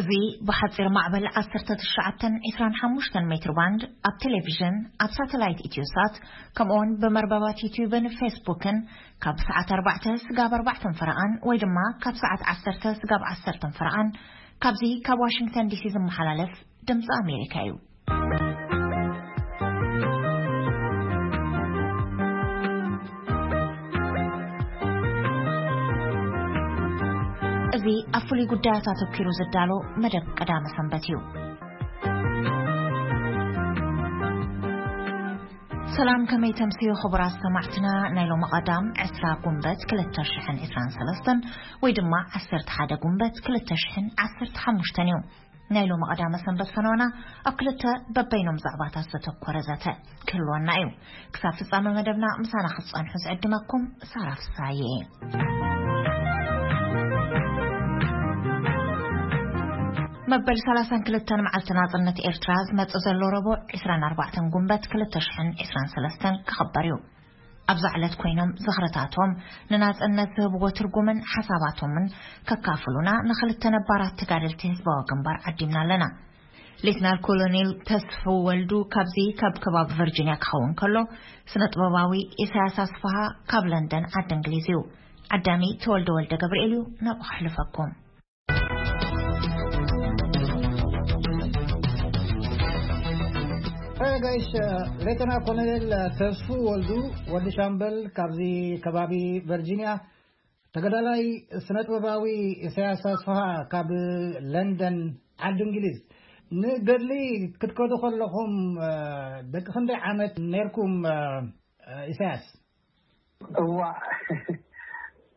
እዚ ብሓጺር ማዕበል ዓሰርተ ትሽዓተን ዕስራን ሓሙሽተን ሜትር ባንድ ኣብ ቴሌቪዥን፣ ኣብ ሳተላይት ኢትዮሳት፣ ከምኡውን ብመርበባት ዩቲዩብን ፌስቡክን ካብ ሰዓት ኣርባዕተ ስጋብ ኣርባዕተን ፈረቓን ወይ ድማ ካብ ሰዓት ዓሰርተ ስጋብ ዓሰርተን ፈረቓን ካብዚ ካብ ዋሽንግተን ዲሲ ዝመሓላለፍ ድምፂ ኣሜሪካ እዩ። እዚ ኣብ ፍሉይ ጉዳያት ኣተኲሩ ዝዳሎ መደብ ቀዳመ ሰንበት እዩ። ሰላም፣ ከመይ ተምስዩ ክቡራት ሰማዕትና? ናይ ሎሚ ቀዳም ዕስራ ጉንበት ክልተ ሽሕን ዕስራን ሰለስተን ወይ ድማ ዓሰርተ ሓደ ጉንበት ክልተ ሽሕን ዓሰርተ ሓሙሽተን እዩ። ናይ ሎሚ ቀዳመ ሰንበት ፈነወና ኣብ ክልተ በበይኖም ዛዕባታት ዘተኮረ ዘተ ክህልወና እዩ። ክሳብ ፍጻመ መደብና ምሳና ክትጸንሑ ዝዕድመኩም ሳራ ፍሳዬ። መበል ሰላሳን ክልተን መዓልቲ ናጽነት ኤርትራ ዝመጽእ ዘሎ ረቡዕ ዕስራን ኣርባዕተን ጉንበት ክልተ ሽሕን ዕስራን ሰለስተን ክኽበር እዩ። ኣብዛ ዕለት ኮይኖም ዝኽርታቶም ንናጽነት ዝህብዎ ትርጉምን ሓሳባቶምን ከካፍሉና ንኽልተ ነባራት ተጋደልቲ ህዝባዊ ግንባር ዓዲምና ኣለና። ሌትናል ኮሎኔል ተስፉ ወልዱ ካብዚ ካብ ከባቢ ቨርጂኒያ ክኸውን ከሎ፣ ስነ ጥበባዊ ኢሳያስ ኣስፍሃ ካብ ለንደን ዓዲ እንግሊዝ እዩ። ዓዳሚ ተወልደ ወልደ ገብርኤል እዩ፣ ናብኡ ከሕልፈኩም። ጋይሽ፣ ሌተና ኮሎኔል ተስፉ ወልዱ፣ ወዲ ሻምበል፣ ካብዚ ከባቢ ቨርጂኒያ፣ ተጋዳላይ ስነ ጥበባዊ ኢሳያስ ኣስፍሃ ካብ ለንደን ዓዲ እንግሊዝ። ንገድሊ ክትከዱ ከለኹም፣ እ፣ ደቂ ክንደይ ዓመት ነርኩም፣ እ፣ ኢሳያስ? እዋ፣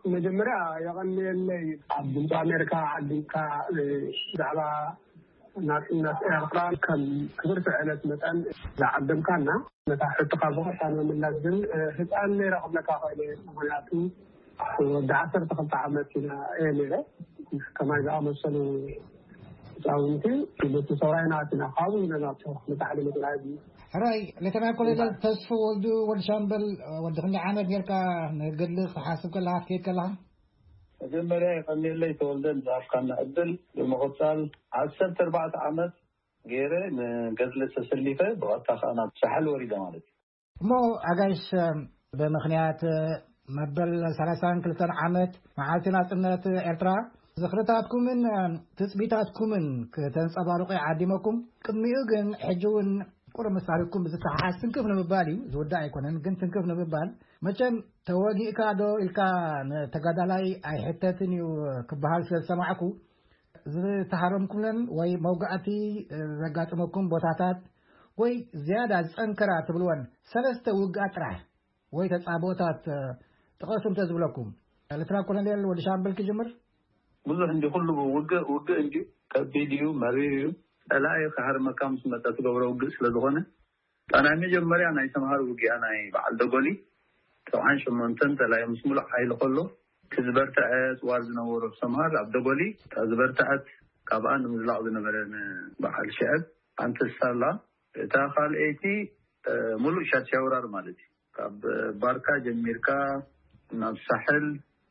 መጀመርያ የቐንየለይ ኣብ ድምፂ ኣሜሪካ ዓዲምካ፣ እ፣ ብዛዕባ ናጽነት ኤርትራ ከም ክብርቲ ዕለት መጠን ዝዓደምካና። ነታ ሕቶኻ ብቐጥታ ንምምላስ ግን፣ እ፣ ህፃን ነይረ ክብለካ ክእል እየ። ምኽንያቱ ወዲ ዓሰርተ ክልተ ዓመት ኢና፣ እየ ነይረ። ከማይ ዝኣመሰሉ ህፃውንቲ፣ በቲ ሰብኣይና ኣቲና ካብኡ ኢና ናብቲ ንታሕሊ ምፅናይ። ሕራይ፣ ሌተና ኮሎኔል ተስፉ ወልዱ፣ ወዲ ሻምበል፣ ወዲ ክንደይ ዓመት ጌርካ ንገድሊ ክትሓስብ ከለኻ፣ ክትከይድ ከለኻ? መጀመርያ የቐንየለይ ተወልደ ንዝሃብካና ዕድል። ብምቕጻል ዓሰርተ ኣርባዕተ ዓመት ገይረ ንገድሊ ተሰሊፈ፣ ብቐጥታ ከኣ ናብ ሳሕል ወሪደ ማለት እዩ። እሞ ኣጋይሽ፣ ብምኽንያት መበል ሰላሳን ክልተን ዓመት መዓልቲ ናጽነት ኤርትራ፣ ዝኽርታትኩምን ትጽቢታትኩምን ክተንጸባርቑ ይዓዲመኩም። ቅድሚኡ ግን፣ ሕጂ እውን ቁሩብ ምስ ታሪኽኩም ብዝተሓሓዝ ትንክፍ ንምባል እዩ። ዝውዳእ ኣይኮነን፣ ግን ትንክፍ ንምባል፣ መቸም ተወጊእካ ዶ ኢልካ ንተጋዳላይ ኣይሕተትን እዩ ክበሃል ስለ ዝሰማዕኩ፣ ዝተሃረምኩለን ወይ መውጋእቲ ዘጋጠመኩም ቦታታት ወይ ዝያዳ ዝጸንከራ ትብልወን ሰለስተ ውግኣት ጥራሕ ወይ ተጻብኦታት ጥቐሱ እንተ ዝብለኩም። ሌተና ኮሎኔል ወዲ ሻምበል ክጅምር። ብዙሕ እንዲ ኩሉ ውግእ፣ ውግእ እንዲ ከቢድ እዩ፣ መሪር እዩ። ጸላኢ ክሃርመካ ምስ መጸ ትገብሮ ውግእ ስለ ዝኾነ፣ እታ ናይ መጀመርያ ናይ ሰምሃር ውግኣ ናይ በዓል ደጎሊ፣ ሰብዓን ሸሞንተን ጸላኢ ምስ ሙሉእ ሓይሊ ከሎ፣ እቲ ዝበርትዐ ጽዋር ዝነበሮ ሰምሃር ኣብ ደጎሊ፣ እታ ዝበርትዐት ካብኣ ንምዝላቕ ዝነበረ ንበዓል ሽዕብ ኣንተሳላ፣ እታ ካልኣይቲ፣ እ፣ ሙሉእ ሻድሻይ ወራር ማለት እዩ። ካብ ባርካ ጀሚርካ ናብ ሳሕል፣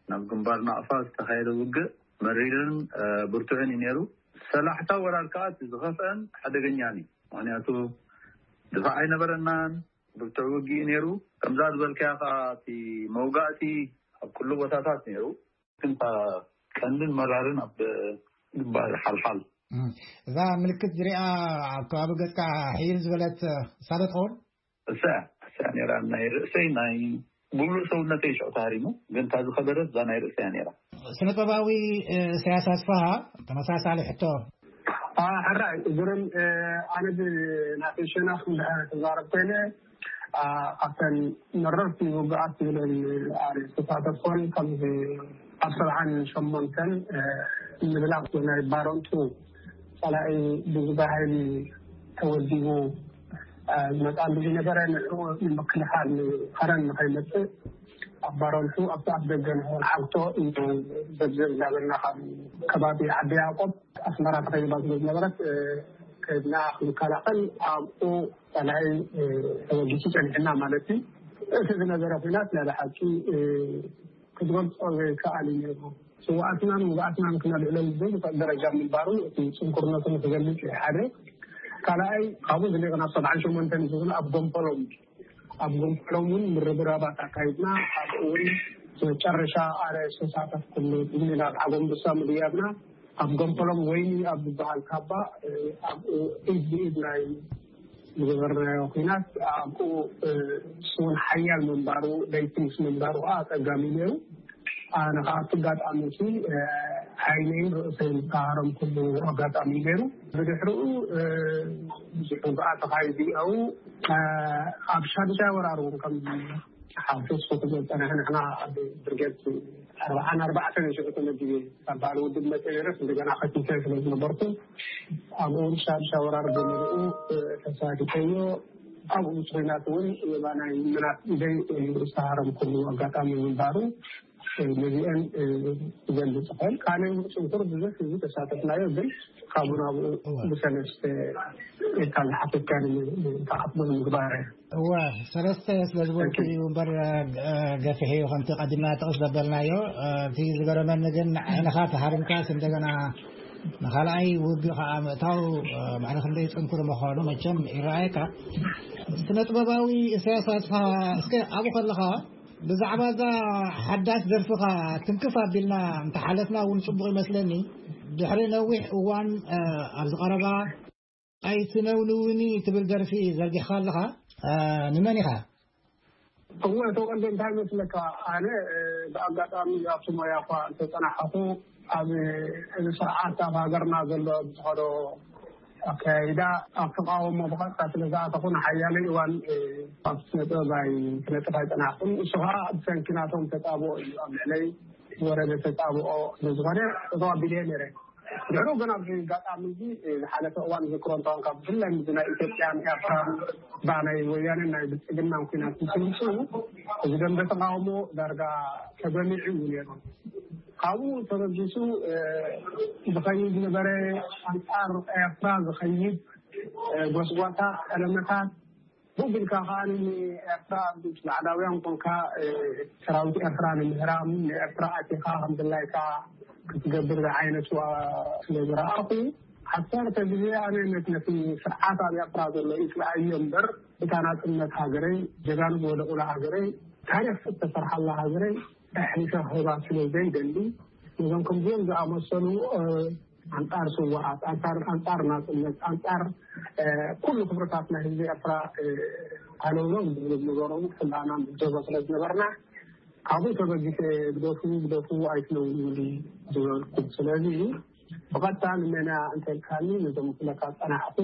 ናብ ግንባር ናቕፋ ዝተኻየደ ውግእ መሪርን፣ እ፣ ብርቱዕን እዩ ነይሩ። ሰላሕታ ወራር ከኣ እቲ ዝኸፍአን ሓደገኛን እዩ። ምኽንያቱ ድፋዕ ኣይነበረናን፣ ብርቱዕ ውግእ እዩ ነይሩ። ከምዛ ዝበልካያ ከኣ እቲ መውጋእቲ ኣብ ኩሉ ቦታታት ነይሩ። ግን እታ ቀንድን መራርን ኣብ ግንባር ሓልሓል። እም፣ እዛ ምልክት ዝሪኣ ኣብ ከባቢ ገጽካ ሕይል ዝበለት እሳ ዶ ትኸውን? እሳ እያ፣ እሳ እያ ነይራ። ናይ ርእሰይ፣ ናይ ሙሉእ ሰውነተይ ሽዑ ተሃሪሙ፣ ግን እታ ዝኸበደት እዛ ናይ ርእሰይ እያ ነይራ። ስነ ጥበባዊ፣ እ፣ ኢሳያስ ኣስፍሃ፣ ተመሳሳሊ ሕቶ። አ፣ ሕራይ፣ ግርም፣ እ፣ ኣነ ብናተይ ሸነኽ እንድሕር ክዛረብ ኮይነ፣ አ፣ ካብተን መረርቲ ውግኣት ዝብለን ኣነ ዝተሳተፍኮን፣ ከምዚ ኣብ ሰብዓን ሸሞንተን፣ እ፣ ምዝላቕ ናይ ባረንቱ ጸላኢ ብዝበሃል ተወዲቡ፣ እ፣ ዝመጽኣሉ ዝነበረ፣ ንዕኡ ንምክልኻል፣ ንኸረን ንኸይመጽእ ኣብ ባረንቱ ኣብቲ ኣፍ ደገ ንኸውን ሓውቶ እዩ። ዘብዘብ እናበልና ካብ ከባቢ ዓዲ ያዕቆብ ኣስመራ ተኸይባ ስለ ዝነበረት፣ እ፣ ከድና ክንከላኸል ኣብኡ ጸላኢ፣ እ፣ ተወጊሱ ጸኒሕና ማለት እዩ። እቲ ዝነበረ ኲናት ናይ ብሓቂ፣ እ፣ ክትገልጾ ዘይከኣል እዩ ነይሩ። ስውኣትናን ውግኣትናን ክነልዕለሉ ዘይንኽእል ደረጃ ምንባሩ እቲ ጽንኩርነቱ ንክገልጽ እዩ ሓደ። ካልኣይ፣ ካብኡ ዝሊቕ ናብ ሰብዓን ሸሞንተን ዝብል ኣብ ጎንፈሎም፣ ኣብ ጎንፈሎም እውን ምርብራባት ኣካይድና። ኣብኡ እውን መጨረሻ ኣረ ዝተሳተፍኩሉ፣ ናብ ዓጎምብሳ ምድያብና ኣብ ጎንፈሎም ወይኒ ኣብ ዝበሃል ካባ፣ እ፣ ኣብኡ ኢድ ብኢድ ናይ ዝገበርናዮ ኲናት ኣብኡ፣ እ፣ እሱ እውን ሓያል ምንባሩ፣ ለይቲ ምስ ምንባሩ ከዓ ኣጸጋሚ ነይሩ። ኣነ ከዓ ኣብቲ ኣጋጣሚ እቲ፣ እ፣ ዓይነይን ርእሰይን ዝተሃረምኩሉ ኣጋጣሚ ነይሩ። ብድሕሪኡ፣ እ፣ ብዙሕ ውግኣት ተኻይዱ እዩ። እ፣ ኣብ ሻድሻይ ወራር እውን ከም ሓፊስ ክፍለ ዝጸንሐ ንሕና ኣብ ብርጌድ ኣርባዓን ኣርባዕተን ሽዑ ተመዲበ ካብ በዓል ውድብ መጸ ነይረስ እንደገና ከቲተ ስለ ዝነበርኩ ኣብኡ ሻድሻ ወራር ብምልኡ ተሳቲፈዮ። ኣብኡ ምስ ኲናት እውን የማናይ ምናት ኢደይ ዝተሃረምኩሉ ኣጋጣሚ ምንባሩ ነዚአን ክገልጽ ይኽእል። ካልእ ጽንኩር ብዙሕ ህዝቢ ተሳተፍናዮ፣ ግን ካብኡ ናብኡ እወ። ብሰለስተ ኢልካ ዝሓተትካኒ ተኣኽቦ ንምግባር። እወ፣ ሰለስተ ስለ ዝበልኩ እዩ እምበር፣ እ፣ ገፊሕ እዩ። ከምቲ ቀዲምና ጥቕስ ዘበልናዮ፣ እ፣ እቲ ዝገረመኒ ግን ዓይንኻ ተሃሪምካስ እንደገና ንኻልኣይ ውግእ ከዓ ምእታው፣ እ፣ ማዕረ ክንደይ ጽንኩር ምዃኑ መቸም ይረኣየካ። ስነ ጥበባዊ ኢሳያስ ኣስፍሃ፣ እስከ ኣብኡ ከለኻ ብዛዕባ እዛ ሓዳስ ደርፍኻ ትንክፍ ኣቢልና እንተሓለፍና እውን ጽቡቕ ይመስለኒ። ድሕሪ ነዊሕ እዋን፣ እ፣ ኣብዚ ቀረባ ኣይትነውንውኒ ትብል ደርፊ ዘርጊሕካ ኣለኻ። እ፣ ንመን ኢኻ? እወ፣ ተወልደ፣ እንታይ ይመስለካ፣ ኣነ፣ እ፣ ብኣጋጣሚ ኣብቲ ሞያ እኳ እንተጸናሕኹ፣ ኣብ፣ እዚ ስርዓት ኣብ ሃገርና ዘሎ ብዝኸዶ ኣካያይዳ ኣብ ተቃውሞ ብቐጥታ ስለ ዝኣተኹ፣ ንሓያለይ እዋን፣ እ፣ ኣብ ስነ ጥበብ ኣይ-፣ ክነጥፍ ኣይጸናሕኩን። እሱ ኸኣ ብሰንኪ ናቶም ተጻብኦ እዩ ኣብ ልዕለይ ዝወረደ ተጻብኦ ስለ ዝኾነ፣ ተዋቢለ ነይረ። ድሕሩ ግን ኣብዚ ኣጋጣሚ እዚ፣ እ፣ ዝሓለፈ እዋን ዝክሮ እንተኾንካ፣ ብፍላይ ምስ ናይ ኢትዮጵያን ኤርትራን፣ ባ ናይ ወያነን ናይ ብልጽግናን ኲናት ምስ ምጽኡ፣ እዚ ደንበ ተቃውሞ ዳርጋ ተገሚዑ እዩ ነይሩ። ካብኡ ተበጊሱ፣ እ፣ ዝኸይድ ነበረ፣ ኣንጻር ኤርትራ ዝኸይድ፣ እ፣ ጎስጓሳ፣ ጠለመታት፣ ብኡ ቢልካ ከኣ ንኤርትራ ምስ ባዕዳውያን ኮንካ፣ እ፣ ሰራዊት ኤርትራ ንምህራም፣ ንኤርትራ ኣቲኻ ከም ድላይካ ክትገብር ዝዓይነቱ ስለ ዝረኣኹ፣ ዓሰርተ ግዜ ኣነ ነቲ፣ ነቲ ስርዓት ኣብ ኤርትራ ዘሎ ይጽልኣዮ እምበር፣ እታ ናጽነት ሃገረይ፣ ጀጋኑ ዝወደቑላ ሃገረይ፣ ታሪኽ ዝተሰርሓላ ሃገረይ ኣሕሊፈ ክህባ ስለ ዘይደሊ፣ ነዞም ከምዚኦም ዝኣመሰሉ፣ እ፣ ኣንጻር ስውኣት፣ ኣንጻር፣ ኣንጻር ናጽነት፣ ኣንጻር፣ እ፣ ኩሉ ክብርታት ናይ ህዝቢ ኤርትራ፣ እ፣ ሃለውለው ዝብሉ ዝነበሩ ኩላና ንዕዘቦ ስለ ዝነበርና፣ ካብኡ ተበጊሰ ግደፉ፣ ግደፉ፣ ኣይትነውንውኒ ዝበልኩ። ስለዚ ብቐጥታ ንመን እንተልካኒ፣ ነዞም ክብለካ ዝጸናሕኩ፣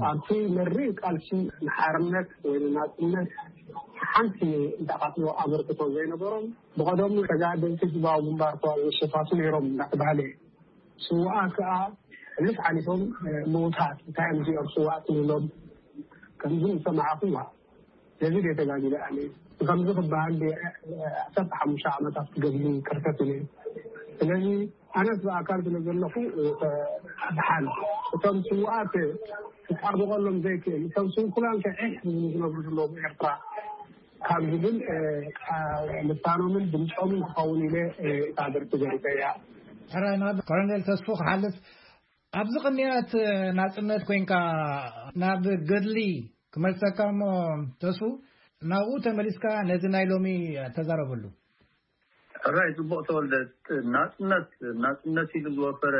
ኣብቲ መሪር ቃልሲ ንሓርነት ወይ ንናጽነት ሓንቲ እንተቓትሎ ኣበርክቶ ዘይነበሮም፣ ብቐደሙ ተጋደልቲ ህዝባዊ ግንባር እኳ ዘሸፋቱ ነይሮም እናተባህለ እዩ። ስውኣት ከኣ ሕሉፍ ሓሊፎም፣ እ፣ ምዉታት፣ እንታይ እዮም እዚኦም ስውኣት ንብሎም? ከምዚ ዝሰማዕኹዋ፣ ነዚ ድየ ተጋዲለ ኣነ? ከምዚ ክበሃል ድየ፣ እ፣ ዓሰርተ ሓሙሽተ ዓመታት ክገድሊ ክርተት ኢለ? ስለዚ ኣነስ ብኣካል ስለ ዘለኹ፣ እ፣ ደሓን። እቶም ስውኣት ክጣበቐሎም ዘይክእል፣ እቶም ስንኩላን ከ ዒሕ ዝብሉ ዝነብሩ ዘለዉ ኤርትራ፣ ካብ ዝብል፣ እ፣ ቃ-፣ ልሳኖምን ድምጾምን ክኸውን ኢለ፣ እ፣ እታ ደርፊ ገሪጸያ። ሕራይ ናብ ኮሎኔል ተስፉ ክሓልፍ፣ ኣብዚ ቅንያት ናጽነት ኮይንካ ናብ ገድሊ ክመልሰካ እሞ፣ ተስፉ፣ ናብኡ ተመሊስካ ነዚ ናይ ሎሚ ተዛረበሉ። ሕራይ፣ ጽቡቕ ተወልደ። ናጽነት፣ ናጽነት ኢሉ ዝወፈረ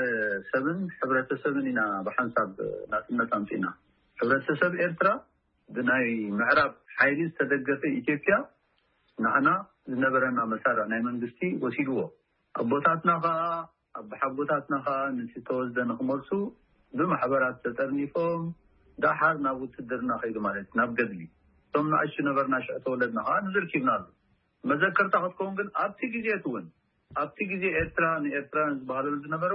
ሰብን ሕብረተሰብን ኢና ብሓንሳብ ናጽነት ኣምጺእና። ሕብረተሰብ ኤርትራ ብናይ ምዕራብ ሓይሊ ዝተደገፈ ኢትዮጵያ ንዓና ዝነበረና መሳርዕ ናይ መንግስቲ ወሲድዎ። ኣቦታትና ኸኣ፣ ኣቦሓጎታትና ኸኣ ነቲ ተወስደ ንኽመልሱ ብማሕበራት ተጠርኒፎም፣ ደሓር ናብ ውትድርና ከይዱ ማለት እዩ፣ ናብ ገድሊ። እቶም ንኣሽቱ ነበርና፣ ሽዑ ተወለድና ኸኣ ንዝርኪብናሉ። መዘከርታ ክትከውን ግን ኣብቲ ግዜ እቲ እውን፣ ኣብቲ ግዜ ኤርትራ ንኤርትራውያን ዝበሃለሉ ዝነበሩ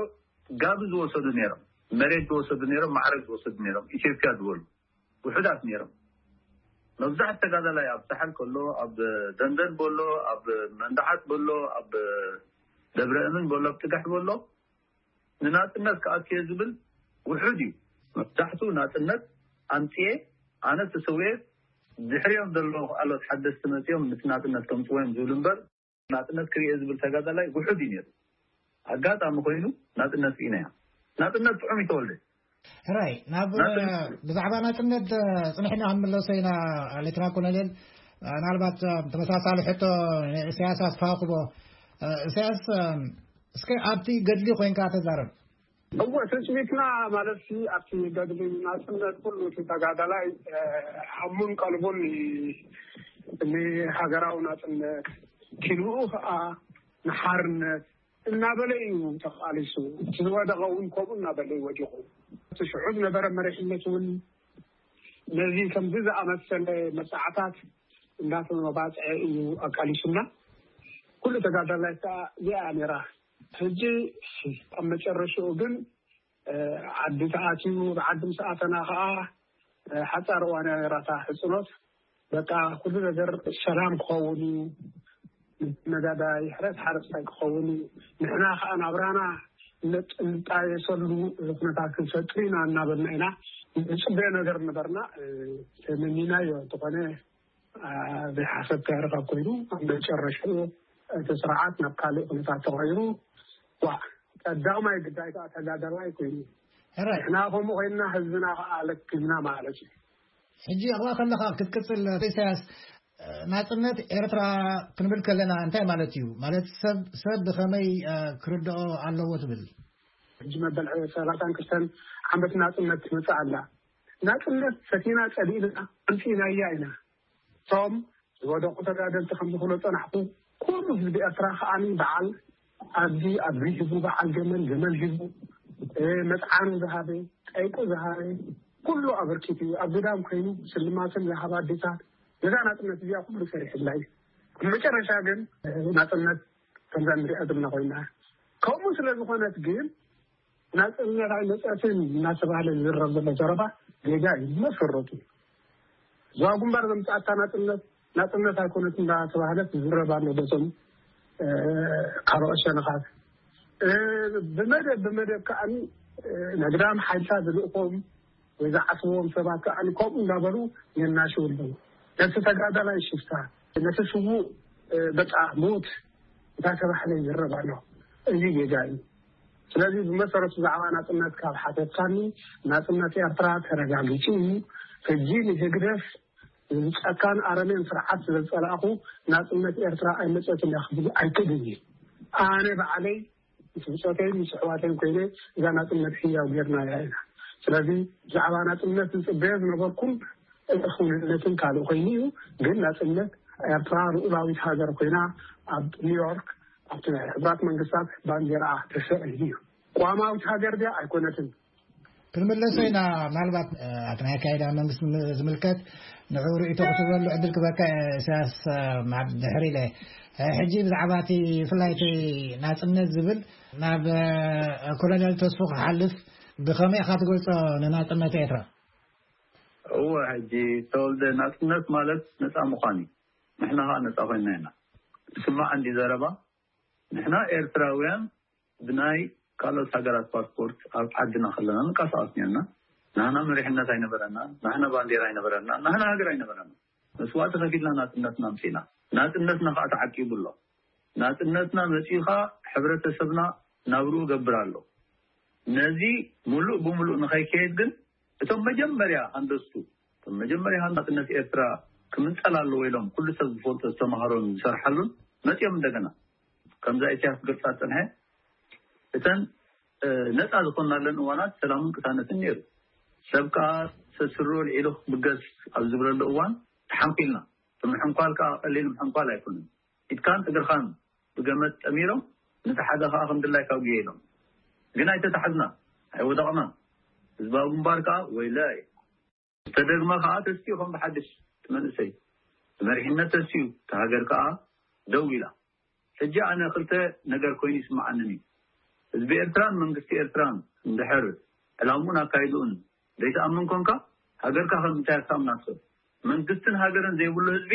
ጋቢ ዝወሰዱ ነይሮም፣ መሬት ዝወሰዱ ነይሮም፣ ማዕረግ ዝወሰዱ ነይሮም፣ ኢትዮጵያ ዝበሉ ውሑዳት ነይሮም። መብዛሕት ተጋዳላይ ኣብ ሳሕል ከሎ፣ ኣብ ደንደን በሎ፣ ኣብ መንደዓት በሎ፣ ኣብ ደብረ እምን በሎ፣ ኣብ ጥጋሕ በሎ፣ ንናጽነት ክኣቱ እየ ዝብል ውሑድ እዩ። መብዛሕትኡ ናጽነት ኣምጽኤ፣ ኣነ ተሰውኤ፣ ድሕሪኦም ዘለዉ ካልኦት ሓደስቲ መጺኦም ነቲ ናጽነት ከምጽዎ እዮም ዝብሉ እምበር፣ ናጽነት ክርእየ ዝብል ተጋዳላይ ውሑድ እዩ ነይሩ። ኣጋጣሚ ኮይኑ ናጽነት ስኢና እያ። ናጽነት ጥዑም ይተወልደ። ሕራይ፣ ናብ ናጽነት ብዛዕባ ናጽነት ጽንሕና ክንምለሶ ኢና። ሌተና ኮሎኔል፣ ምናልባት ተመሳሳሊ ሕቶ ንእስያስ ኣስፋክቦ። እስያስ፣ እስከ ኣብቲ ገድሊ ኮይንካ ተዛረብ። እወ፣ ትጽቢትና ማለት ሲ ኣብቲ ገድሊ ናጽነት ኩሉ እቲ ተጋዳላይ፣ እ፣ ሓሙን ቀልቡን ን-፣ ንሃገራዊ ናጽነት፣ ኪንኡ ኸኣ ንሓርነት እናበለ እዩ ተቓሊሱ። እቲ ዝወደቐ እውን ከምኡ እናበለ እዩ ወዲቑ። እቲ ሽዑ ዝነበረ መሪሕነት እውን ነዚ ከምዚ ዝኣመሰለ መብጻዕታት እንዳተመባጽዐ እዩ ኣቃሊሱና። ኩሉ ተጋዳላይ ከኣ እዚኣ ነይራ። ሕጂ ኣብ መጨረሽኡ ግን፣ እ፣ ዓዲ ተኣትዩ፣ ብዓዲ ምስ ኣተና ከኣ፣ እ፣ ሓጻር እዋን እያ ነይራ እታ ሕጽኖት። በቃ ኩሉ ነገር ሰላም ክኸውን እዩ፣ ነጋዳይ ሕረስ ሓረስታይ ክኸውን እዩ፣ ንሕና ከኣ ናብራና ነጥ-፣ ንጣየሰሉ ኩነታት ክንፈጥር ኢና እናበልና ኢና ንጽበዮ ነገር ነበርና። እ፣ ተመኒናዮ እንተኾነ፣ እ፣ ዘይሓሰብካዮ ርኻብ ኮይኑ ኣብ መጨረሽኡ እቲ ስርዓት ናብ ካልእ ኩነታት ተቐይሩ፣ ዋ፣ ቀዳማይ ግዳይ ከኣ ተጋዳላይ ኮይኑ። ሕራይ። ንሕና ከምኡ ኮይንና ህዝብና ከኣ ለኪምና ማለት እዩ። ሕጂ ኣብኣ ከለኻ ክትቅጽል፣ ኢሳያስ፣ ናጽነት ኤርትራ ክንብል ከለና እንታይ ማለት እዩ? ማለት ሰብ፣ ሰብ ብኸመይ፣ እ፣ ክርድኦ ኣለዎ ትብል? ሕጂ መበል ሰላሳን ክልተን ዓመት ናጽነት ትመጽእ ኣላ። ናጽነት ሰቲና ጸሊእና ኣምጺእናያ ኢና። እቶም ዝወደቑ ተጋደልቲ ከም ዝኽእሎ ጸናሕኩ፣ ኩሉ ህዝቢ ኤርትራ ከኣ በዓል ኣድጊ ኣድጊ ሂቡ፣ በዓል ገመል ገመል ሂቡ፣ እ፣ መጽዓኑ ዝሃበ፣ ጠይቁ ዝሃበ፣ ኩሉ ኣበርኪቱ እዩ። ኣብ ግዳም ኮይኑ ስልማትን ዝሃባ ኣዴታት፣ ነዛ ናጽነት እዚኣ ኩሉ ሰሪሕላ እዩ። ኣብ መጨረሻ ግን፣ እ፣ ናጽነት ከምዛ ንሪኣ ዘለና ኮይና። ከምኡ ስለ ዝኾነት ግን፣ ናጽነት ኣይመጸትን እናተባህለ ዝዝረብ ዘሎ ዘረባ ጌጋ እዩ። መሰረቱ እዛ ግንባር ዘምጽኣታ ናጽነት፣ ናጽነት ኣይኮነትን እናተባህለት ዝዝረብ ኣሎ በቶም፣ እ፣ ካልኦት ሸነኻት። እ፣ ብመደብ፣ ብመደብ ከኣ፣ እ፣ ነግዳም ሓይልታት ዝልእኾም ወይ ዝዓስብዎም ሰባት ከኣ ከምኡ እንዳበሉ የናሽው ኣለዉ። ነቲ ተጋዳላይ ሽፍታ፣ ነቲ ስዉእ፣ እ፣ በቃ ሞት እንዳተባህለ ይዝረብ ኣሎ። እዚ ጌጋ እዩ። ስለዚ ብመሰረቱ ብዛዕባ ናጽነት ካብ ሓተትካኒ፣ ናጽነት ኤርትራ ተረጋጊጹ እዩ። ሕጂ ንህግደፍ፣ ንጨካን ኣረሜን ስርዓት ስለ ዝጸላእኹ፣ ናጽነት ኤርትራ ኣይመጸትን እያ ክብል ኣይክእልን እየ። ኣነ ባዕለይ ምስ ብጾተይን ምስ ኣሕዋተይን ኮይነ እዛ ናጽነት ህያው ጌርናያ ኢና። ስለዚ ብዛዕባ ናጽነት ዝጽበዮ ዝነበርኩን ክውንነትን ካልእ ኮይኑ እዩ። ግን ናጽነት ኤርትራ ልኡላዊት ሃገር ኮይና ኣብ ኒውዮርክ ኣብቲ ናይ ሕቡራት መንግስታት ባንዲራ ተሰቒሉ እዩ። ቅዋማዊት ሃገር ድያ ኣይኮነትን። ክንምለሶ ኢና። ምናልባት፣ እ፣ ኣብቲ ናይ ኣካይዳ መንግስቲ ም-፣ ዝምልከት ንዕኡ ርእይቶ ክትህበሉ ዕድል ክበካ፣ እ፣ ኢሳያስ፣ እ፣ ማብ-፣ ድሕሪ ኢለ። እ፣ ሕጂ ብዛዕባ እቲ ብፍላይ እቲ ናጽነት ዝብል ናብ፣ እ፣ ኮሎኔል ተስፉ ክሓልፍ፣ ብኸመይ ኢኻ ትገልጾ ንናጽነት ኤርትራ? እወ፣ ሕጂ ተወልደ፣ ናጽነት ማለት ነጻ ምዃን እዩ። ንሕና ኸኣ ነጻ ኮይንና ኢና። ትስማዕ እንዲ ዘረባ? ንሕና ኤርትራውያን ብናይ ካልኦት ሃገራት ፓስፖርት ኣብ ዓድና ከለና ንንቀሳቐስ ነርና። ናህና መሪሕነት ኣይነበረና፣ ናህና ባንዴራ ኣይነበረና፣ ናህና ሃገር ኣይነበረና። መስዋእቲ ከፊልና ናጽነትና ኣምጺእና። ናጽነትና ኸኣ ተዓቂቡ ኣሎ። ናጽነትና መጺኡ ኸኣ ሕብረተሰብና ናብርኡ ገብር ኣሎ። ነዚ ምሉእ ብምሉእ ንኸይከየድ ግን እቶም መጀመርያ ሃንደስቱ፣ እቶም መጀመርያ ናጽነት ኤርትራ ክምንጸል ኣለዎ ኢሎም ኩሉ ሰብ ዝፈልጦ ዝተማህሮን ዝሰርሓሉን መጺኦም እንደገና ከምዛ ኢሳያስ ገልጻ ዝጸንሐ እተን፣ እ፣ ነጻ ዝኾንናለን እዋናት ሰላምን ቅሳነትን ነይሩ። ሰብ ከኣ ሰስሮ ልዒሉ ክብገስ ኣብ ዝብለሉ እዋን ተሓንኲልና። እቲ ምሕንኳል ከኣ ቀሊል ምሕንኳል ኣይኮነን። ኢድካን እግርኻን ብገመድ ጠሚሮም ነቲ ሓደ ከኣ ከም ድላይካ ውግየ ኢሎም። ግን ኣይተታሕዝናን፣ ኣይወደቕናን። ህዝባዊ ግንባር ከኣ ወይለይ ዝተደግመ ከኣ ተስቲኡ ከም ብሓድሽ እቲ መንእሰይ። እቲ መሪሕነት ተስቲኡ፣ እታ ሃገር ከኣ ደው ኢላ። ሕጂ ኣነ ክልተ ነገር ኮይኑ ይስምዓንን እዩ። ህዝቢ ኤርትራን መንግስቲ ኤርትራን እንድሕር ዕላምኡን ኣካይድኡን ዘይትኣምን ኮንካ፣ ሃገርካ ከም እንታይ ክትኣምና ትኽእል? መንግስትን ሃገርን ዘይብሉ ህዝቢ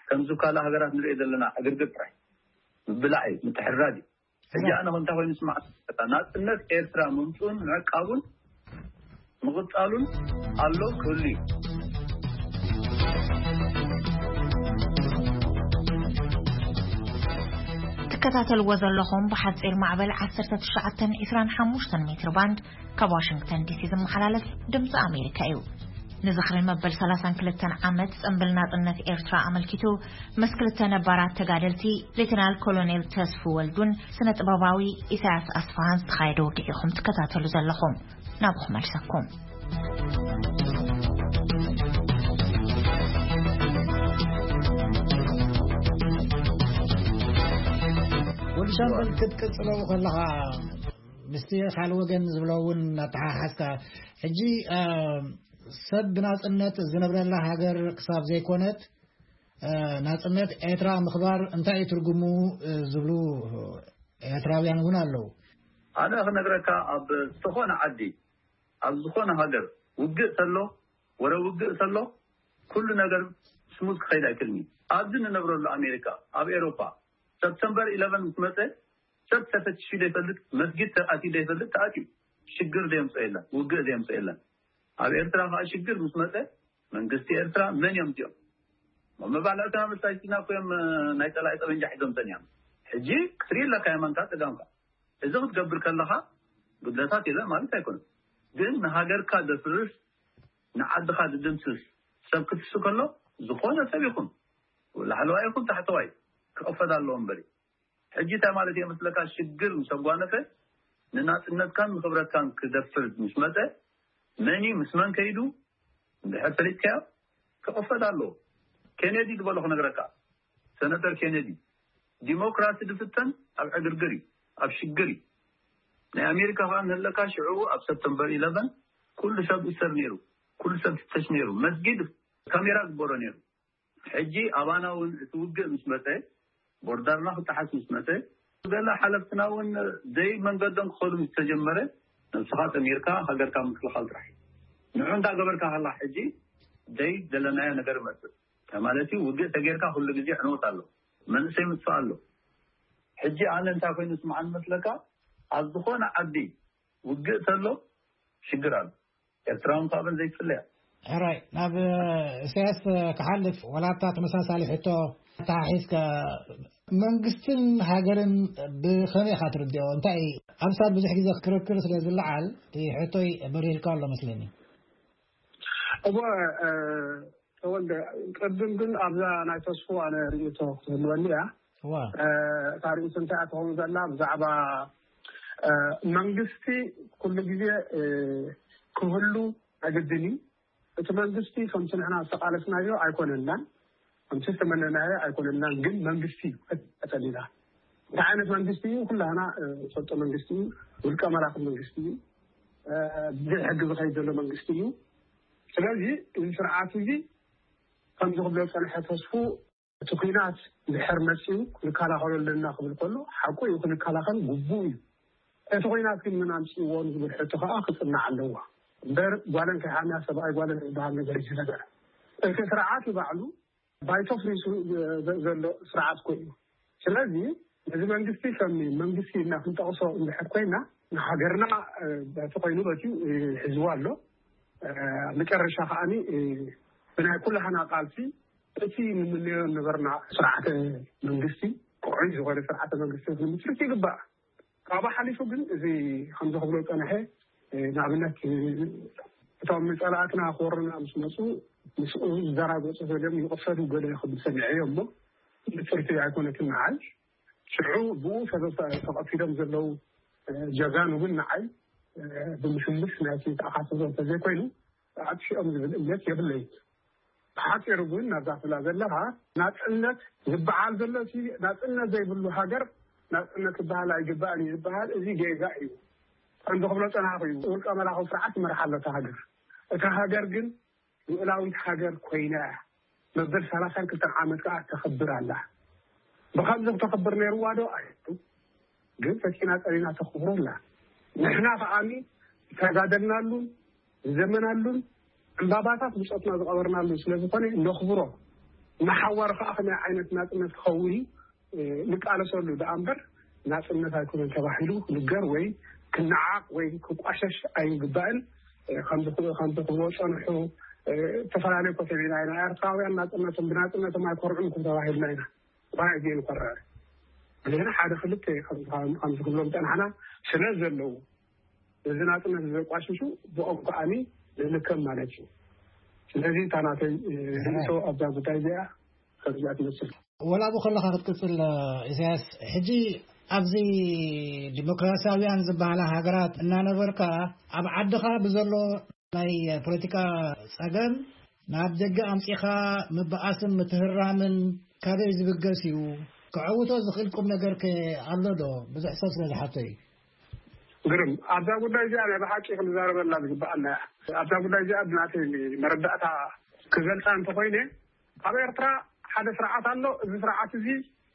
ከምዚ ካልእ ሃገራት ንሪኦ ዘለና ዕግርግር ጥራይ ምብላዕ እዩ፣ ምትሕርራድ እዩ። ሕጂ ኣነ ከምታ ኮይኑ ስማዕ፣ ናጽነት ኤርትራ ምምጽኡን ምዕቃቡን ምቕጻሉን ኣሎ ክህሉ እዩ። ከታተልዎ ዘለኹም ብሓጺር ማዕበል ዓሰርተ ትሽዓተ ዒስራን ሓሙሽተ ሜትር ባንድ ካብ ዋሽንግተን ዲሲ ዝመሓላለፍ ድምፂ ኣሜሪካ እዩ። ንዝኽሪ መበል ሰላሳን ክልተን ዓመት ጽንብል ናጽነት ኤርትራ ኣመልኪቱ ምስ ክልተ ነባራት ተጋደልቲ ሌተናል ኮሎኔል ተስፉ ወልዱን ስነ ጥበባዊ ኢሳያስ ኣስፋሃን ዝተኻየደ ውግእ ኢኹም ትከታተሉ ዘለኹም። ናብኹም መልሰኩም። ወዲ ሻምበል ክትቅጽሎ ከለኻ ምስቲ ካልእ ወገን ዝብሎ እውን እናተሓሓዝካ ሕጂ፣ እ፣ ሰብ ብናጽነት ዝነብረላ ሃገር ክሳብ ዘይኮነት፣ እ፣ ናጽነት ኤርትራ ምኽባር እንታይ እዩ ትርጉሙ፣ እ፣ ዝብሉ ኤርትራውያን እውን ኣለዉ። ኣነ ክነግረካ፣ ኣብ ዝኾነ ዓዲ፣ ኣብ ዝኾነ ሃገር ውግእ ተሎ፣ ወረ ውግእ ተሎ፣ ኩሉ ነገር ስሙዝ ክኸይድ ኣይክልኒ። ኣብዚ ንነብረሉ ኣሜሪካ፣ ኣብ ኤሮፓ፣ ሰፕተምበር ኢለቨን ምስ መጸ፣ ሰብ ተፈቲሹ ዘይፈልጥ፣ መስጊድ ተኣትዩ ዘይፈልጥ ተኣትዩ። ሽግር ዘየምጽኦ የለን፣ ውግእ ዘየምጽኦ የለን። ኣብ ኤርትራ ከኣ ሽግር ምስ መጸ፣ መንግስቲ ኤርትራ መን እዮም እዚኦም? መባልዕትና መሳጅድና እኮ እዮም፣ ናይ ጸላኢ ጠበንጃ ሒዞም ጸኒሖም። ሕጂ ክትርኢ ኣለካ የማንካ ጸጋምካ። እዚ ክትገብር ከለኻ ጉድለታት የለን ማለት ኣይኮነን። ግን ንሃገርካ ዘፍርስ፣ ንዓድኻ ዝድምስስ ሰብ ክትሱ ከሎ፣ ዝኾነ ሰብ ይኹን፣ ላዕለዋይ ይኹን ታሕተዋይ፣ ክቕፈድ ኣለዎ እምበሪ። ሕጂ እንታይ ማለት እየ መስለካ? ሽግር ምስ ኣጓነፈ፣ ንናጽነትካን ንኽብረትካን ክደፍር ምስ መጸ፣ መን እዩ ምስ መን ከይዱ እንድሕር ፈሊጥካዮ፣ ክቕፈድ ኣለዎ። ኬኔዲ ዝበሎ ክነግረካ፣ ሰነተር ኬኔዲ፣ ዲሞክራሲ ዝፍተን ኣብ ዕግርግር እዩ፣ ኣብ ሽግር እዩ። ናይ ኣሜሪካ ከኣ እንህለካ፣ ሽዑ ኣብ ሰፕተምበር ኢለቨን ኩሉ ሰብ ይእሰር ነይሩ፣ ኩሉ ሰብ ይፍተሽ ነይሩ፣ መስጊድ ካሜራ ግበሮ ነይሩ። ሕጂ ኣባና እውን እቲ ውግእ ምስ መጸ፣ ቦርደርና ክጠሓስ ምስ መጸ፣ ገለ ሓለፍትና እውን ደይ መንገዶም ክኸዱ ምስ ተጀመረ፣ ነብስኻ ጠሚርካ ሃገርካ ምክልኻል ጥራሕ እዩ። ንዑ እንዳ ገበርካ ከላ ሕጂ ደይ ዘለናዮ ነገር ይመጽእ። ማለት እዩ፣ ውግእ ተጌርካ ኩሉ ግዜ ዕንወት ኣሎ፣ መንእሰይ ምጥፋእ ኣሎ። ሕጂ ኣነ እንታይ ኮይኑ ስምዓኒ መስለካ? ኣብ ዝኾነ ዓዲ ውግእ ተሎ ሽግር ኣሎ። ኤርትራውን ካብን ዘይፍለያ። ሕራይ፣ ናብ ኢሳያስ ክሓልፍ፣ ወላታ ተመሳሳሊ ሕቶ ተሓሒዝካ፣ መንግስትን ሃገርን ብኸመይ ኢኻ ትርድኦ? እንታይ፣ ኣብ ሳል ብዙሕ ግዜ ክርክር ስለ ዝለዓል፣ እቲ ሕቶይ በሪህልካ ኣሎ መስለኒ። እወ፣ እ፣ ተወልደ፣ ቅድም ግን ኣብዛ ናይ ተስፉ ኣነ ርእይቶ ክህልወኒ እያ። እዋ። እ፣ እታ ርእይቶ እንታይ እያ ትኸውን ዘላ? ብዛዕባ፣ እ፣ መንግስቲ ኩሉ ግዜ፣ እ፣ ክህሉ ኣገድን እዩ። እቲ መንግስቲ ከምቲ ንሕና ዝተቓለስናዮ ኣይኮነናን፣ ከምቲ ዝተመነናዮ ኣይኮነናን፣ ግን መንግስቲ እዩ። ቀጸሊና እንታይ ዓይነት መንግስቲ እዩ? ኩላህና፣ እ፣ ንፈልጦ መንግስቲ እዩ። ውልቀ መላኺ መንግስቲ እዩ። እ፣ ብዘይ ሕጊ ዝኸይድ ዘሎ መንግስቲ እዩ። ስለዚ እዚ ስርዓት እዚ ከምዚ ክብሎ ዝጸንሐ ተስፉ፣ እቲ ኲናት ድሕር መጺኡ ክንከላኸሎ ኣለና ክብል ከሎ፣ ሓቁ እዩ፣ ክንከላኸል ግቡእ እዩ። እቲ ኲናት ግን መን ኣምጺእዎ ንዝብል ሕቶ ከኣ ክጽናዕ ኣለዎ። እምበር ጓለን ከይሓምያ ሰብኣይ ጓለን ዝበሃል ነገር እዩ እዚ ነገር። እቲ ስርዓት እዩ ባዕሉ ባይቶ ፍሪሱ ዘ-፣ ዘሎ ስርዓት እኮ እዩ። ስለዚ ነዚ መንግስቲ ከም መንግስቲ ኢልና ክንጠቕሶ እንድሕር ኮይና፣ ንሃገርና፣ እ፣ በቲ ኮይኑ በትዩ፣ እ፣ ሒዝዋ ኣሎ። እ፣ መጨረሻ ከኣኒ፣ እ፣ ብናይ ኩላህና ቃልሲ እቲ ንምንዮ ነበርና ስርዓተ መንግስቲ፣ ክዑይ ዝኾነ ስርዓተ መንግስቲ ክንምስርት ይግባእ። ካብኡ ሓሊፉ ግን እዚ ከምዚ ክብሎ ጸንሐ፣ እ፣ ንኣብነት፣ እ፣ እቶም ጸላእትና ክወሩና ምስ መጹ፣ ምስኡ ዝደራገጹ ገሊኦም ይቕሰዱ ገለ ክብል ሰሚዐዮ እሞ፣ ብጽርቲ ኣይኮነትን ንዓይ። ሽዑ ብኡ ሰበብ ተቐቲሎም ዘለዉ፣ እ፣ ጀጋኑ ግን ንዓይ፣ እ፣ ብምስልስ ናይቲ ተኣኻትቦ እንተዘይኮይኑ፣ ኣጥፊኦም ዝብል እምነት የብለይን። ብሓጺሩ ግን ናብዛ ትብላ ዘለኻ ናጽነት ዝበዓል ዘሎ፣ እቲ ናጽነት ዘይብሉ ሃገር ናጽነት ክበሃል ኣይግባእን እዩ ዝበሃል፣ እዚ ጌጋ እዩ። ከምዚ ክብሎ ጸናሕኩ እዩ፣ ውልቀ መላኺ ስርዓት ይመርሓ ኣሎ እታ ሃገር። እታ ሃገር ግን ልኡላዊት ሃገር ኮይና እያ። መበል ሰላሳን ክልተን ዓመት ከኣ ተኸብር ኣላ። ብኸምዚ ክተኸብር ነይርዋ ዶ? ኣይኮነን። ግን ፈቲና ጸሊና ተኽብሮ ኣላ። ንሕና ከኣኒ ዝተጋደልናሉን ዝዘመናሉን ዕምባባታት ብጾትና ዝቐበርናሉን ስለ ዝኾነ ነኽብሮ። ንሓዋሩ ከኣ ከመይ ዓይነት ናጽነት ክኸውን እዩ፣ እ፣ ንቃለሰሉ ደኣ እምበር ናጽነት ኣይኮነን ተባሂሉ ክንገር ወይ ክነዓቕ ወይ ክቋሸሽ ኣይግባእን። እ፣ ከምዚ ክብ-፣ ከምዚ ክብሎ ጸንሑ፣ እ፣ ዝተፈላለዩ ኮተቤና ኢና። ኤርትራውያን ናጽነቶም ብናጽነቶም ኣይኮርዑን እኮ ተባሂልና ኢና። ዋይ ግን ኮረር። ግን ሓደ ክልተ ከም ዝብሎም ጸናሕና ስለ ዘለዉ፣ እዚ ናጽነት ዘቋሽሹ ብኦም ከዓኒ ንልከም ማለት እዩ። ስለዚ እታ ናተይ ርእሶ ኣብዛ ጉዳይ እዚኣ ከምዚኣ ትመስል። ወላ ብኸለኻ ክትቅጽል፣ ኢሳያስ፣ ሕጂ ኣብዚ ዲሞክራሲያውያን ዝበሃላ ሃገራት እናነበርካ፣ ኣብ ዓድኻ ብዘሎ ናይ ፖለቲካ ጸገም ናብ ደገ ኣምጺኻ ምብኣስን ምትህራምን ካበይ ዝብገስ እዩ? ክዕውቶ ዝኽእል ቁም ነገር ከ ኣሎ ዶ? ብዙሕ ሰብ ስለ ዝሓቶ እዩ። ግርም፣ ኣብዛ ጉዳይ እዚኣ ናይ ብሓቂ ክንዛረበላ ዝግብኣና እያ። ኣብዛ ጉዳይ እዚኣ ብናተይ መረዳእታ ክገልጻ እንተኾይነ፣ ኣብ ኤርትራ ሓደ ስርዓት ኣሎ። እዚ ስርዓት እዚ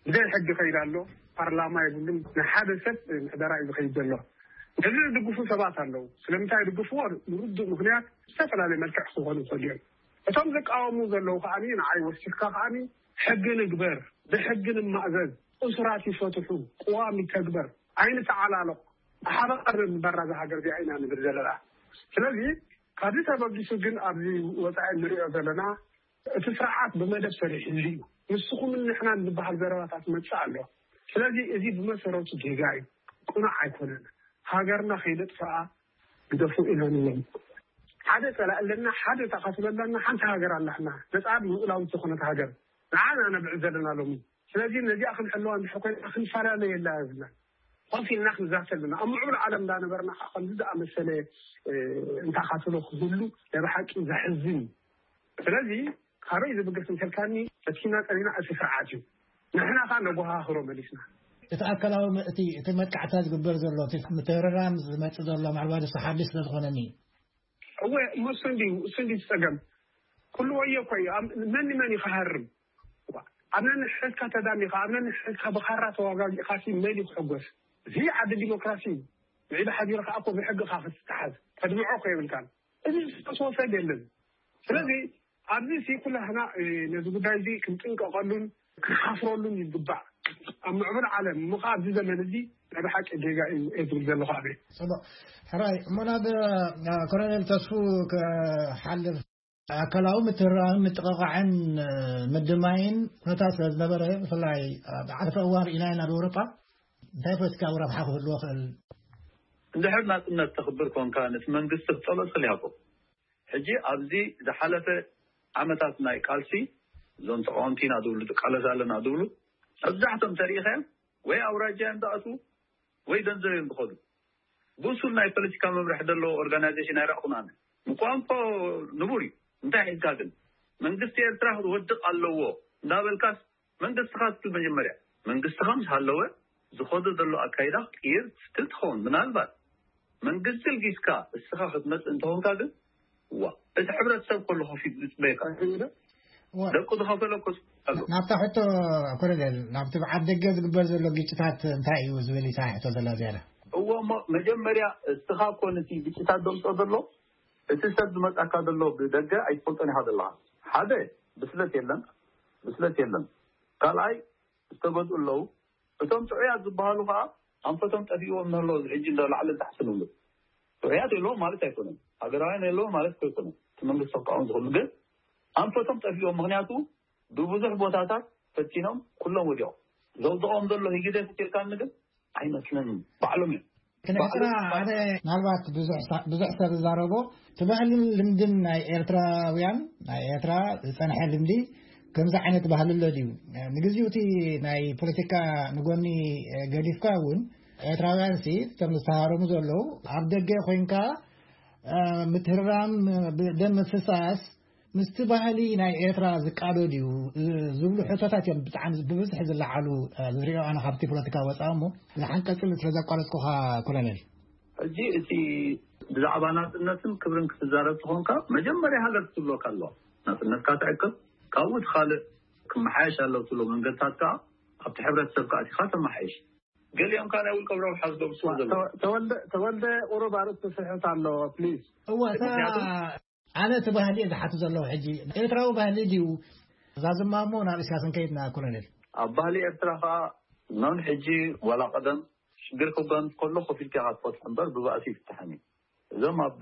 ብዘይ ሕጊ ከይድ ኣሎ። ፓርላማ የብሉን። ናይ ሓደ ሰብ ምሕደራ እዩ ዝኸይድ ዘሎ። ነዚ ዝድግፉ ሰባት ኣለዉ። ስለምንታይ ይድግፍዎ? ንርዱእ ምኽንያት ዝተፈላለየ መልክዕ ክኾኑ ይኽእሉ እዮም። እቶም ዝቃወሙ ዘለዉ ከዓኒ ንዓይ ወሲኽካ ከዓኒ ሕጊ ንግበር፣ ብሕጊ ንማእዘዝ፣ እሱራት ይፈትሑ፣ ቅዋም ይተግበር፣ ኣይንተዓላለቕ፣ ብሓባር ንበራ እዛ ሃገር እዚኣ ኢና ንብል ዘለና። ስለዚ ካብዚ ተበጊሱ ግን ኣብዚ ወጻኢ እንሪኦ ዘለና እቲ ስርዓት ብመደብ ሰሪሕሉ እዩ። ንስኹምን ንሕናን ዝበሃል ዘረባታት መጽእ ኣሎ። ስለዚ እዚ ብመሰረቱ ጌጋ እዩ፣ ቅኑዕ ኣይኮነን። ሃገርና ከይነጥፍኣ ግደፉ ኢና ንብሎም። ሓደ ጸላኢ ኣለና፣ ሓደ ተቓትሎ ኣለና፣ ሓንቲ ሃገር ኣላትና፣ ነጻን ልኡላዊት ዝኾነት ሃገር ንዓና ነብዕል ዘለና ሎሚ። ስለዚ ነዚኣ ክንሕልዋ እንድሕር ኮይና ክንፈላለየላ የብልናን። ኮፍ ኢልና ክንዛተ ኣለና። ኣብ ምዕቡል ዓለም እንዳነበርና ከዓ ከምዚ ዝኣመሰለ፣ እ፣ እንተቓትሎ ክህሉ ናይ ብሓቂ ዘሕዝን እዩ። ስለዚ ካበይ ዝብገስ እንተልካኒ፣ ፈቲና ጸኒና እቲ ስርዓት እዩ። ንሕና ከዓ ነጎሃህሮ መሊስና። እቲ ኣካላዊ ም-፣ እቲ፣ እቲ መጥቃዕታ ዝግበር ዘሎ፣ እቲ ምትህርራም ዝመጽእ ዘሎ፣ ምናልባት እሱ ሓድሽ ስለ ዝኾነኒ። እወ፣ እሞ እሱ እንድዩ፣ እሱ እንድዩ እቲ ጸገም። ኩሉ ወዮ እኮ እዩ። ኣብ-፣ መን ንመን እዩ ክሃርም? ኣብ ነንሕድካ ተዳሚኻ፣ ኣብ ነንሕድካ ብኻራ ተዋጋጊእኻ ሲ መን እዩ ክሕጎስ? እዚ ዓዲ ዲሞክራሲ እዩ። ምዒዳ ሓዲርካ እኮ ብሕግኻ ክትተሓዝ፣ ተድምዖ እኮ የብልካን። እዚ ዝተወሰደ የለን። ስለዚ ኣብዚ ሲ ኩላህና፣ እ፣ ነዚ ጉዳይ እዚ ክንጥንቀቐሉን ክንሓፍረሉን ይግባእ። ኣብ ምዕቡል ዓለም፣ እሞ ኸዓ ኣብዚ ዘመን እዚ ናይ ብሓቂ ጌጋ እዩ እየ ዝብል ዘለኹ ኣነ። ጽቡቕ። ሕራይ፣ እሞ ናብ፣ እ፣ ኮሎኔል ተስፉ ክሓልፍ፣ ኣካላዊ ምትህርራምን ምጥቕቓዕን፣ እ፣ ምድማይን ኩነታት ስለ ዝነበረ፣ ብፍላይ ኣብ ዓርፈ እዋን ርኢናዮ ናብ ኤውሮጳ፣ እንታይ ፖለቲካዊ ረብሓ ክህልዎ ክእል? እንድሕር ናጽነት ተኽብር ኮንካ፣ ነቲ መንግስቲ ክትጸልኦ ትኽእል ኢኻ እኮ። ሕጂ ኣብዚ ዝሓለፈ ዓመታት ናይ ቃልሲ፣ እዞም ተቃወምቲ ኢና ዝብሉ፣ ትቃለስ ኣለና ዝብሉ፣ መብዛሕቶም ተሪኢኻዮም ወይ ኣውራጃ እዮም ዝኣትዉ ወይ ገንዘብ እዮም ዝኸዱ። ብሱል ናይ ፖለቲካ መምርሒ ዘለዎ ኦርጋናይዜሽን ኣይረኣኹን ኣነ። ምቋም እኮ ንቡር እዩ። እንታይ ሒዝካ ግን መንግስቲ ኤርትራ ክወድቕ ኣለዎ እንዳበልካስ መንግስትኻ ትብል መጀመርያ። መንግስትኻ ምስ ሃለወ ዝኸዶ ዘሎ ኣካይዳ ክትቅይር ትኽእል ትኸውን። ምናልባት መንግስቲ ልጊስካ እስኻ ክትመጽእ እንተኾንካ ግን፣ ዋ፣ እቲ ሕብረተሰብ ከሎ ከፊት ዝጽበየካ እንተይለ፣ ዋ። ደቁ ዝኸፈለ እኮ ኣሎ። ናብታ ሕቶ ኮሎኔል፣ ናብቲ ብዓድ ደገ ዝግበር ዘሎ ግጭታት እንታይ እዩ ዝብል ኢሳ ሕቶ ዘላ ዝያዳ? እዎ፣ እሞ መጀመርያ እስኻ እኮ ነቲ ግጭታት ዘምጽኦ ዘሎ፣ እቲ ሰብ ዝመጻካ ዘሎ ብደገ ኣይትፈልጦን ኢኻ ዘለኻ። ሓደ፣ ብስለት የለን፣ ብስለት የለን። ካልኣይ፣ ዝተገዝኡ ኣለዉ። እቶም ጥዑያት ዝበሃሉ ከኣ ኣንፈቶም ጠፊእዎም ንህሎ፣ እዚ ሕጂ እንዶ ላዕሊ ታሕቲ ንብሉ። ጥዑያት የለዎም ማለት ኣይኮነን። ሃገራውያን የለዎም ማለት እኮ ኣይኮነን። እቲ መንግስቲ ክቃወም ዝኽእሉ ግን ኣንፈቶም ጠፊእዎም። ምኽንያቱ ብብዙሕ ቦታታት ፈቲኖም ኩሎም ወዲቖም። ዘውድቖም ዘሎ ህግደፍ ኢልካኒ ግን ኣይመስለንን። ባዕሎም እዮም። ክንሕጽራ ባዕሎም ሓደ ምናልባት ብዙሕ ሳ-፣ ብዙሕ ሰብ ዝዛረቦ እቲ ባህልን ልምድን ናይ ኤርትራውያን፣ ናይ ኤርትራ ዝጸንሐ ልምዲ ከምዚ ዓይነት ባህሊ ኣሎ ድዩ? ንግዚኡ እቲ ናይ ፖለቲካ ንጎኒ ገዲፍካ እውን ኤርትራውያን ሲ እቶም ዝተሃረሙ ዘለዉ ኣብ ደገ ኮይንካ፣ እ፣ ምትህርራም፣ ብደም ምፍሳስ ምስቲ ባህሊ ናይ ኤርትራ ዝቃዶ ድዩ ዝብሉ ሕቶታት እዮም ብጣዕሚ ብብዝሒ ዝለዓሉ፣ እ፣ ዝሪኦ ኣነ ካብቲ ፖለቲካ ወፃኢ እሞ። ንሓንቀፅል ስለ ዘቋረፅኩኻ ኮሎኔል። ሕጂ እቲ ብዛዕባ ናጽነትን ክብርን ክትዛረብ ተኾንካ መጀመርያ ሃገር ክትብለካ ኣለዋ። ናጽነትካ ትዕቅብ፣ ካብኡ እቲ ካልእ ክመሓየሽ ኣለዎ ትብሎ መንገድታት ከኣ ኣብቲ ሕብረተሰብ ከኣ ኣቲኻ ተመሓይሽ። ገሊኦም ከኣ ናይ ውልቆም ረብሓ ዝገብሩ ስለ ዘለዉ። ተወ-፣ ተወልደ፣ ተወልደ ቁሩብ ኣርእስቲ ስሕት ኣሎ፣ ፕሊዝ። እወ፣ እታ ምክንያቱ ኣነ እቲ ባህሊ እየ ዝሓቱ ዘለኹ ሕጂ። ኤርትራዊ ባህሊ ድዩ? ዛዝማ እሞ ናብ ኢሳያስ እንከይድና ኮሎኔል። ኣብ ባህሊ ኤርትራ ከኣ ኖን ሕጂ ዋላ ቀደም ሽግር ክጓንፍ ከሎ ኮፍ ኢልካ ኢኻ ትፈትሖ እምበር ብባእሲ ይፍታሕን እዩ። እዞም ኣብ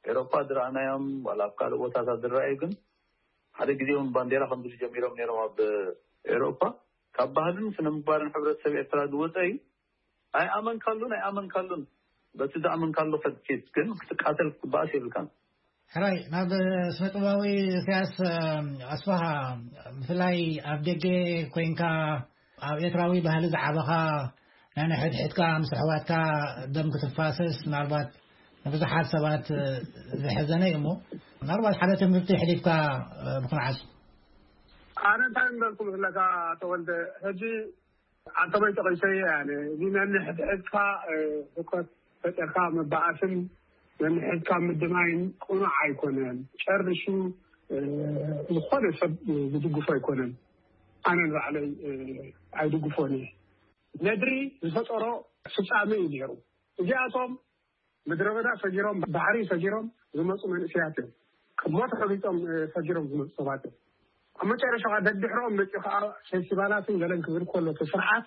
ኤሮፓ ዝረኣናዮም ዋላ ኣብ ካልእ ቦታታት ዝረኣዩ ግን ሓደ ግዜ እውን ባንዴራ ከምዚ ጀሚሮም ነይሮም ኣብ ኤሮፓ። ካብ ባህልን ስነ ምግባርን ሕብረተሰብ ኤርትራ ዝወፀ እዩ። ኣይኣመንካሉን ኣይኣመንካሉን፣ በቲ ዝኣመንካሉ ከድኪት ግን ክትቃተል ክትበኣስ የብልካን። ሕራይ፣ ናብ ስነ ጥበባዊ ኢሳያስ ኣስፋሃ፣ ብፍላይ ኣብ ደገ ኮይንካ ኣብ ኤርትራዊ ባህሊ ዝዓበኻ፣ ናይ ንሕድሕድካ ምስ ኣሕዋትካ ደም ክትፋሰስ ምናልባት ንብዙሓት ሰባት ዝሕዘነ እዩ እሞ፣ ምናልባት ሓደ ትምህርቲ ሕሊፍካ ምኽንዓሱ። ኣነ እንታይ እንዳልኩ መስለካ ተወልደ፣ ሕጂ ኣንተበይ ተቐይሰ እየ። ኣነ እዚ ነንሕድሕድካ ህውከት ፈጠርካ ምባኣስን ነንሕድካ ምድማይን ቅኑዕ ኣይኮነን። ጨርሹ ዝኾነ ሰብ ዝድግፎ ኣይኮነን። ኣነ ንባዕለይ ኣይድግፎን እየ። ነድሪ ዝፈጠሮ ፍጻመ እዩ ነይሩ። እዚኣቶም ምድረ በዳ ፈጊሮም፣ ባሕሪ ፈጊሮም ዝመፁ መንእሰያት እዮም። ቅድሞ ተረጊጦም ፈጊሮም ዝመፁ ሰባት እዮም። ኣብ መጨረሻ ከዓ ደድሕሮም መፂኡ ከዓ ፌስቲቫላትን ገለን ክብል ከሎ እቲ ስርዓት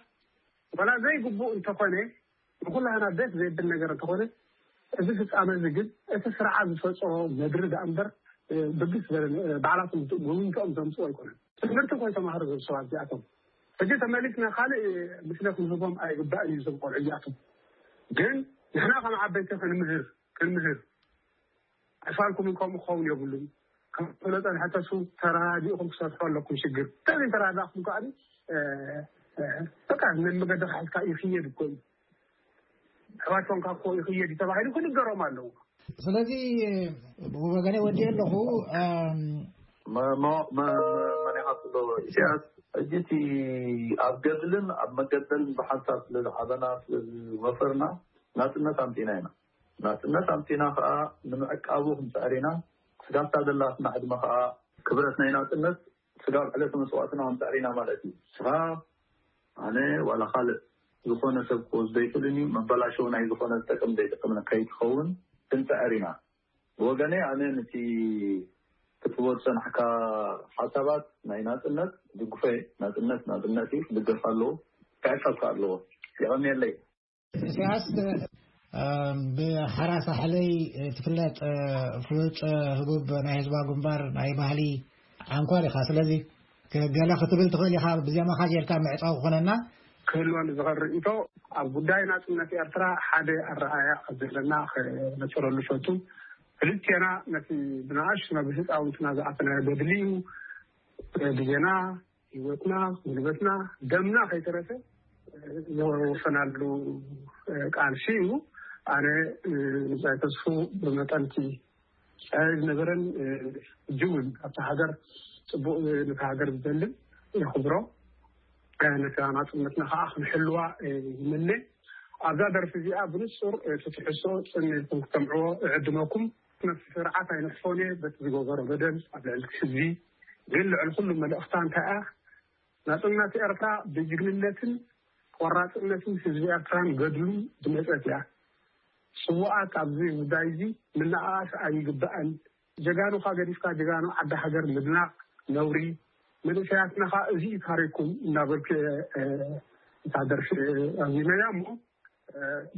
ዋላ ዘይግቡእ እንተኾነ፣ ንኩላህና ደስ ዘይብል ነገር እንተኾነ፣ እዚ ፍጻመ እዚ ግን እቲ ስርዓት ዝፈፀሞ ነድሪ ደኣ እምበር ብግስ ዝበለ ባዕላቶም ጎብኝቶኦም ዘምፅኦ ኣይኮነን። ትምህርቲ እኮ ይተማሃሩ ዘሉ ሰባት እዚኣቶም። ሕጂ ተመሊስና ካልእ ምስለ ክንህቦም ኣይግባእን እዩ። እዞም ቆልዑ እዚኣቶም ግን ንሕና ከም ዓበይቲ ክንምህር ክንምህር፣ ኣስፋልኩም ከምኡ ክኸውን የብሉን። ከም ዝጸንሐ ተስፉ ተረዳዲእኹም ክሰርሑ ኣለኩም ሽግር። ተዘይተረዳእኹም ከኣ በቃ ነን መገዲ ክሕዝካ ይኽየድ እኮ እዩ። ኣሕዋት ኮንካ እኮ ይኽየድ እዩ ተባሂሉ ክንገሮም ኣለዎ። ስለዚ ብወገነ ወዲ ኣለኹ። መን ኢኻ ትብሎ? ኢሳያስ፣ ሕጂ እቲ ኣብ ገድልን ኣብ መገደልን ብሓንሳብ ስለ ዝዓበና ስለ ዝመፈርና ናጽነት ኣምጺና ኢና። ናጽነት ኣምጺና ከኣ ንምዕቃቡ ክንጽዕር ኢና። ስጋብ እታ ዘላትና ዕድመ ከኣ ክብረት ናይ ናጽነት ስጋብ ዕለተ መስዋእትና ክንጽዕር ኢና ማለት እዩ። ስኻ ኣነ ዋላ ካልእ ዝኾነ ሰብ ክወስዶ ኣይክእልን እዩ። መበላሸዊ ናይ ዝኾነ ዝጠቅም ዘይጠቅም ከይትኸውን ክንጽዕር ኢና። ብወገነይ ኣነ ነቲ ክትቦ ዝጸናሕካ ሓሳባት ናይ ናጽነት ድግፎ እየ። ናጽነት ናጽነት እዩ፣ ክድገፍ ኣለዎ፣ ክዕቀብ ኣለዎ። የቐንየለይ። ኢሳያስ፣ ብሓራ ሳሕለይ ትፍለጥ ፍሉጥ ህቡብ ናይ ህዝባዊ ግንባር ናይ ባህሊ ኣንኳር ኢኻ። ስለዚ ገለ ክትብል ትኽእል ኢኻ፣ ብዜማኻ ጌርካ ምዕጻው ክኾነና። ክህልወኒ ዝኽእል ርእይቶ፣ ኣብ ጉዳይ ናጽነት ኤርትራ ሓደ ኣረኣእያ ከም ዘለና ክነጽረሉ ፈቱ። ክልቴና ነቲ ብንኣሽቱ ናብ ህጻውንትና ዝኣተናዮ ገድሊ እዩ። ግዜና፣ ህይወትና፣ ጉልበትና፣ ደምና ከይተረፈ ዘወፈናሉ ቃልሲ እዩ። ኣነ ንብጻይ ተስፉ ብመጠንቲ ዝነበረን ሕጂ እውን ኣብታ ሃገር ጽቡቕ ነታ ሃገር ዝደልን የኽብሮ። ነታ ናጽነትና ከዓ ክንሕልዋ ይምነ። ኣብዛ ደርፊ እዚኣ ብንጹር እቲ ትሕዝቶ ጽን ኢልኩም ክትሰምዕዎ እዕድመኩም። ነቲ ስርዓት ኣይንሕፎን እየ በቲ ዝገበሮ በደል ኣብ ልዕሊ ህዝቢ። ግን ልዕሊ ኩሉ መልእኽታ እንታይ እያ? ናጽነት ኤርትራ ብጅግንነትን ቆራጽነትን ህዝቢ ኤርትራን ገድሉን ዝመጸት እያ። ስዉኣት ኣብዚ ጉዳይ እዚ ምንኣኣስ ኣይግባእን። ጀጋኑኻ ገዲፍካ ጀጋኑ ዓዲ ሃገር ምድናቕ ነውሪ። መንእሰያትና ኸኣ እዚ እዩ ታሪኩም እናበልኩ እየ እታ ደርፊ ኣዚመያ እሞ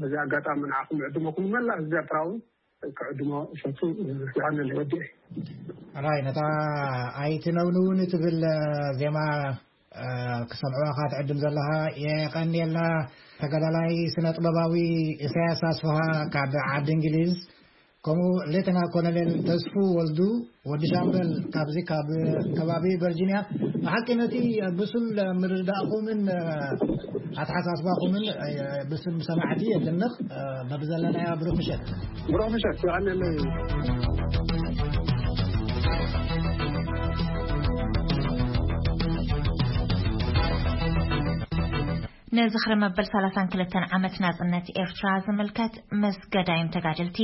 በዚ ኣጋጣሚ ንዓኹም ዕድመኩም መላእ ህዝቢ ኤርትራ እውን ክዕድሞ እፈቱ። ይሃነለይ ወዲኤ። ራይ ነታ ኣይትነውንውን ትብል ዜማ ክሰምዕዋኻ ትዕድም ዘለኻ የቐንየልና። ተጋዳላይ ስነ ጥበባዊ ኢሳያስ ኣስፍሃ ካብ ዓዲ እንግሊዝ፣ ከምኡ ሌተና ኮሎኔል ተስፉ ወልዱ ወዲ ሻምበል ካብዚ ካብ ከባቢ ቨርጂኒያ። ብሓቂ ነቲ ብሱል ምርዳእኹምን ኣተሓሳስባኹምን ብስም ሰማዕቲ የድንቕ። በብዘለናዮ ብሩኽ ምሸት። ብሩኽ ምሸት ይቐንየለይ። ንዝኽሪ መበል ሰላሳን ክልተን ዓመት ናጽነት ኤርትራ ዝምልከት ምስ ገዳይም ተጋደልቲ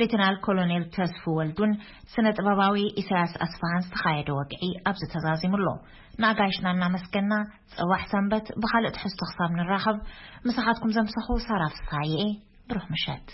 ሌተናል ኮሎኔል ተስፉ ወልዱን ስነ ጥበባዊ ኢሳያስ ኣስፋሃን ዝተኻየደ ወግዒ ኣብዚ ተዛዚሙ ኣሎ። ንኣጋይሽና እናመስገና፣ ጽባሕ ሰንበት ብኻልእ ትሕዝቶ ክሳብ ንራኸብ፣ ምሳኻትኩም ዘምሰኹ ሳራ ፍስሃየ እየ። ብሩኽ ምሸት።